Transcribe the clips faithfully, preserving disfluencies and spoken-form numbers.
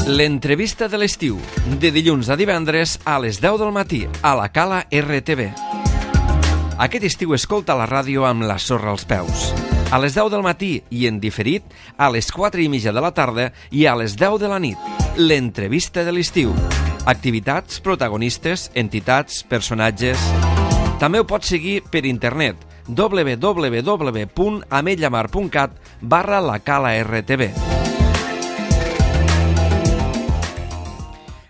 L'entrevista de l'estiu, de dilluns a divendres a les deu del matí, a la Cala R T V. Aquest estiu escolta la ràdio amb la sorra als peus. A les deu del matí i en diferit, a les quatre i mitja de la tarda i a les deu de la nit. L'entrevista de l'estiu. Activitats, protagonistes, entitats, personatges... També ho pots seguir per internet, w w w punt ametlla mar punt cat barra la Cala R T V.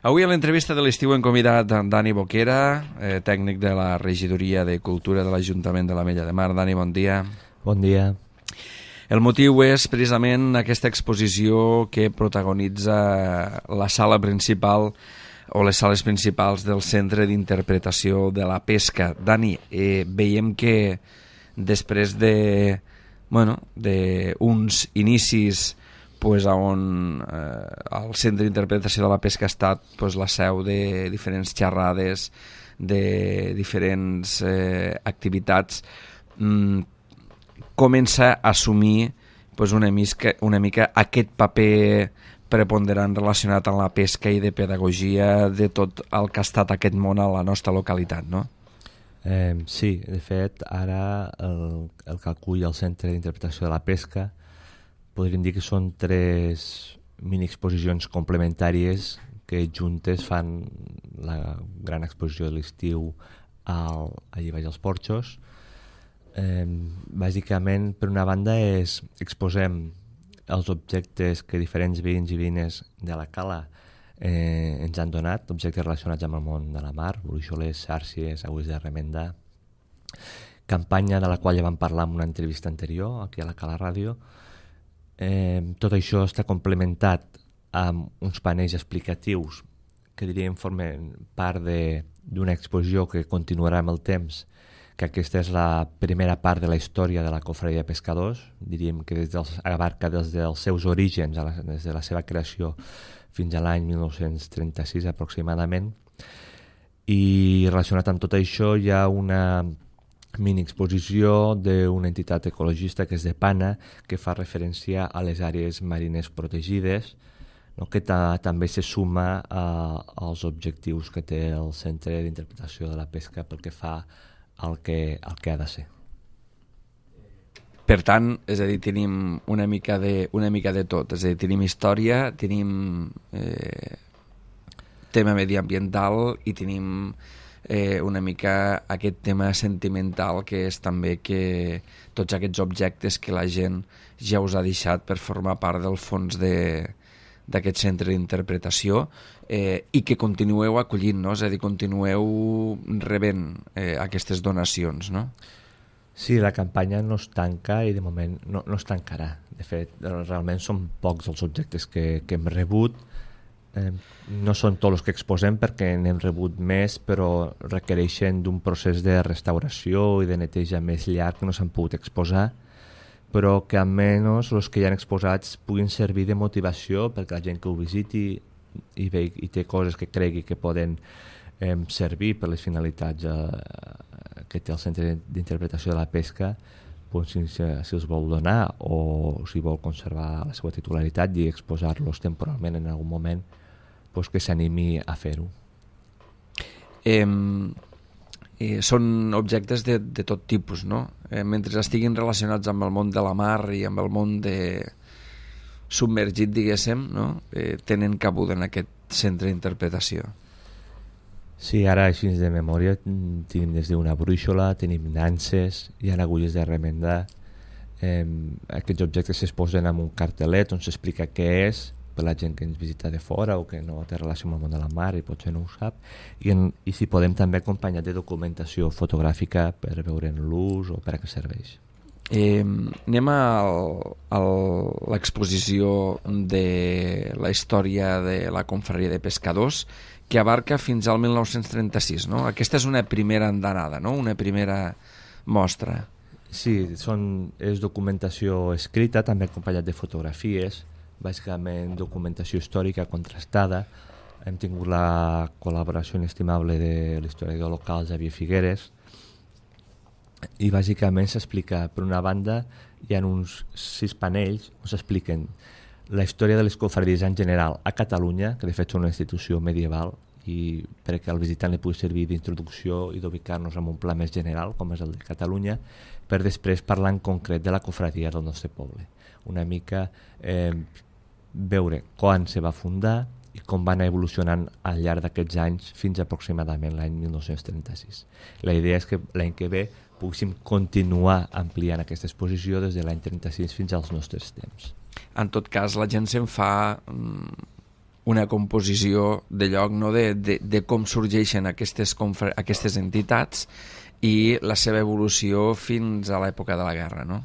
Avui a l'entrevista de l'estiu hem convidat Dani Boquera, eh, tècnic de la Regidoria de Cultura de l'Ajuntament de l'Ametlla de Mar. Dani, bon dia. Bon dia. El motiu és precisament aquesta exposició que protagonitza la sala principal o les sales principals del Centre d'Interpretació de la Pesca. Dani, eh, veiem que després de, bueno, d'uns inicis pues, on eh, el Centre d'Interpretació de la Pesca ha estat pues, la seu de diferents xerrades, de diferents eh, activitats, mm, comença a assumir pues, una, mica, una mica aquest paper preponderant relacionat amb la pesca i de pedagogia de tot el que ha estat aquest món a la nostra localitat, no? Eh, sí, de fet, ara el, el que acull el Centre d'Interpretació de la Pesca podríem dir que són tres mini-exposicions complementàries que juntes fan la gran exposició de l'estiu al, allà baix als Porxos. Eh, bàsicament, per una banda, és exposem els objectes que diferents veïns i veïnes de la Cala eh, ens han donat, objectes relacionats amb el món de la mar, bruixoles, xàrcies, agulles de remendar, campanya de la qual ja vam parlar en una entrevista anterior aquí a la Cala Ràdio. Eh, tot això està complementat amb uns panells explicatius que diríem formen part d'una exposició que continuarà amb el temps, que aquesta és la primera part de la història de la Cofradia de Pescadors, diríem que des dels, abarca des dels seus orígens, a la, des de la seva creació fins a l'any mil nou-cents trenta-sis aproximadament, i relacionat amb tot això hi ha una mini-exposició d'una entitat ecologista que és de Pana, que fa referència a les àrees marines protegides, no? que ta, també se suma a, als objectius que té el Centre d'Interpretació de la Pesca pel que fa el que, el que ha de ser. Per tant, és a dir, tenim una mica de, una mica de tot, és a dir, tenim història, tenim eh, tema mediambiental i tenim eh, una mica aquest tema sentimental que és també que tots aquests objectes que la gent ja us ha deixat per formar part del fons de, d'aquest centre d'interpretació eh, i que continueu acollint, no? És a dir, continueu rebent eh, aquestes donacions, no? Sí, la campanya no es tanca i de moment no, no es tancarà. De fet, realment són pocs els objectes que, que hem rebut. Eh, no són tots els que exposem perquè n'hem rebut més, però requereixen d'un procés de restauració i de neteja més llarg que no s'han pogut exposar, però que almenys els que hi han exposats puguin servir de motivació perquè la gent que ho visiti i, ve, i té coses que cregui que poden eh, servir per les finalitats eh, que té el Centre d'Interpretació de la Pesca, doncs, si, si els vol donar o si vol conservar la seva titularitat i exposar-los temporalment en algun moment, doncs que s'animi a fer-ho. Eh... Eh, són objectes de, de tot tipus, no? Eh, mentre estiguin relacionats amb el món de la mar i amb el món de submergit, diguéssim, no? Eh, tenen cabuda en aquest centre d'interpretació. Sí, ara així de memòria tenim des d'una brúixola, tenim nanses, hi ha agulles de remendar. Eh, aquests objectes s'exposen amb un cartelet on s'explica què és, per la gent que ens visita de fora o que no té relació amb el món de la mar i potser no ho sap, i, en, i si podem també acompanyar de documentació fotogràfica per veure'n l'ús o per a què serveix. Eh, anem a, a l'exposició de la història de la Confraria de Pescadors, que abarca fins al mil nou-cents trenta-sis, no? Aquesta és una primera andanada, no? Una primera mostra. Sí, són, és documentació escrita, també acompanyat de fotografies, bàsicament documentació històrica contrastada. Hem tingut la col·laboració inestimable de l'historiador local Xavier Figueres i bàsicament s'explica, per una banda hi ha uns sis panells on s'expliquen la història de les confraries en general a Catalunya, que de fet són una institució medieval, i perquè al visitant li pugui servir d'introducció i d'ubicar-nos en un pla més general, com és el de Catalunya, per després parlar en concret de la confraria del nostre poble. Una mica eh, veure quan se va fundar i com va anar evolucionant al llarg d'aquests anys fins aproximadament l'any mil nou-cents trenta-sis. La idea és que l'any que ve poguéssim continuar ampliant aquesta exposició des de l'any trenta-sis fins als nostres temps. En tot cas, la gent se'n fa una composició de lloc, no? de, de, de com sorgeixen aquestes, aquestes entitats i la seva evolució fins a l'època de la guerra, no?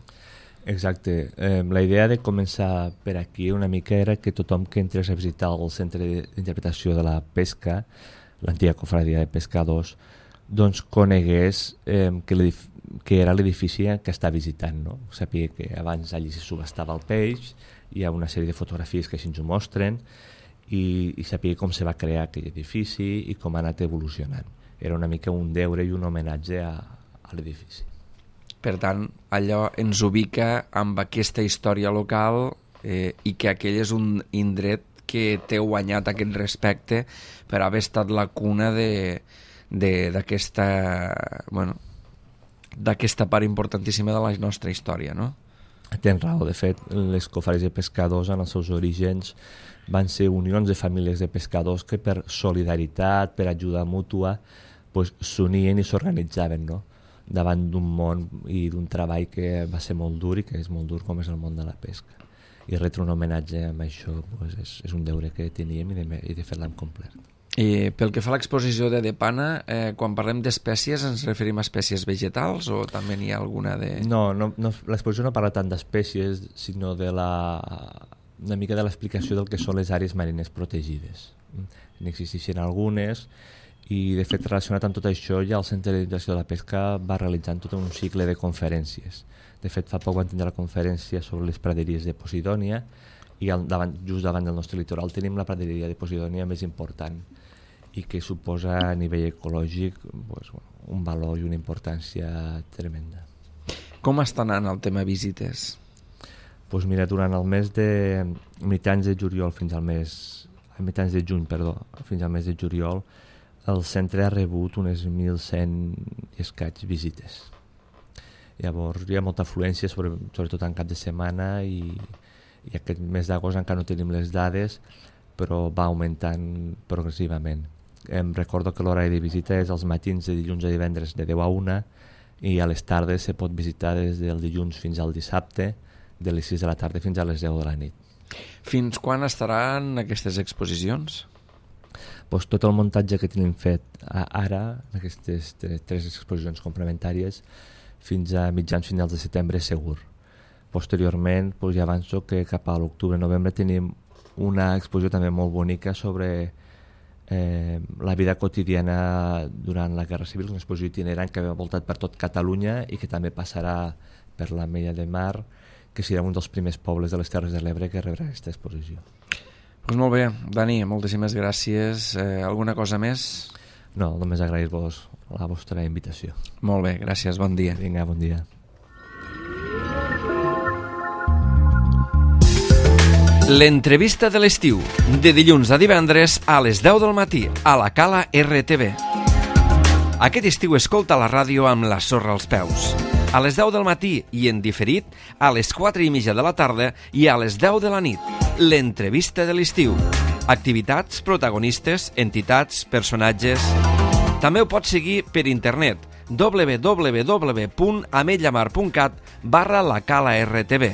Exacte. Eh, la idea de començar per aquí una mica era que tothom que entrés a visitar el centre d'interpretació de la pesca, l'antiga confraria de pescadors, doncs conegués eh, que, que era l'edifici que està visitant, no? Sabia que abans allí se subhastava el peix, hi ha una sèrie de fotografies que així ens ho mostren, i, i sabia com se va crear aquell edifici i com ha anat evolucionant. Era una mica un deure i un homenatge a, a l'edifici. Per tant, allò ens ubica amb aquesta història local eh, i que aquell és un indret que té guanyat aquest respecte per haver estat la cuna de, de, d'aquesta, bueno, d'aquesta part importantíssima de la nostra història, no? Tens raó, de fet, les confraries de pescadors en els seus orígens van ser unions de famílies de pescadors que per solidaritat, per ajuda mútua, pues, s'unien i s'organitzaven, no? Davant d'un món i d'un treball que va ser molt dur i que és molt dur com és el món de la pesca. I retre un homenatge amb això pues, és, és un deure que teníem i de, i de fet l'hem complert. I pel que fa a l'exposició de Depana, eh, quan parlem d'espècies ens referim a espècies vegetals o també n'hi ha alguna de... No, no, no l'exposició no parla tant d'espècies, sinó de la, una mica de l'explicació del que són les àrees marines protegides. N'existeixen algunes i de fet relacionat amb tot això ja el Centre d'Interpretació de la Pesca va realitzant tot un cicle de conferències. De fet fa poc van tindre la conferència sobre les praderies de Posidònia i al, davant, just davant del nostre litoral tenim la praderia de Posidònia més important i que suposa a nivell ecològic pues, un valor i una importància tremenda. Com està anant el tema visites? Pues mira, durant el mes de mitjans de juliol fins al mes mitjans de juny, perdó, fins al mes de juliol el centre ha rebut unes mil cent i escaig visites. Llavors hi ha molta afluència, sobre, sobretot en cap de setmana, i, i aquest mes d'agost encara no tenim les dades, però va augmentant progressivament. Em recordo que l'horari de visita és als matins de dilluns a divendres de deu a una i a les tardes se pot visitar des del dilluns fins al dissabte, de les sis de la tarda fins a les deu de la nit. Fins quan estaran aquestes exposicions? Pues tot el muntatge que tenim fet ara, aquestes tres exposicions complementàries, fins a mitjans finals de setembre segur. Posteriorment, pues ja avanço que cap a l'octubre-novembre tenim una exposició també molt bonica sobre eh, la vida quotidiana durant la Guerra Civil, una exposició itinerant que ha voltat per tot Catalunya i que també passarà per la Mella de Mar, que serà un dels primers pobles de les Terres de l'Ebre que rebrà aquesta exposició. Pues molt bé, Dani, moltíssimes gràcies. Eh, alguna cosa més? No, només agrair-vos la vostra invitació. Molt bé, gràcies, bon dia. Vinga, bon dia. L'entrevista de l'estiu, de dilluns a divendres a les deu del matí, a la Cala R T V. Aquest estiu escolta la ràdio amb la sorra als peus. A les deu del matí i en diferit, a les quatre i mitja de la tarda i a les deu de la nit. L'entrevista de l'estiu. Activitats, protagonistes, entitats, personatges... També ho pots seguir per internet w w w punt ametlllamar punt cat barra la Cala R T V.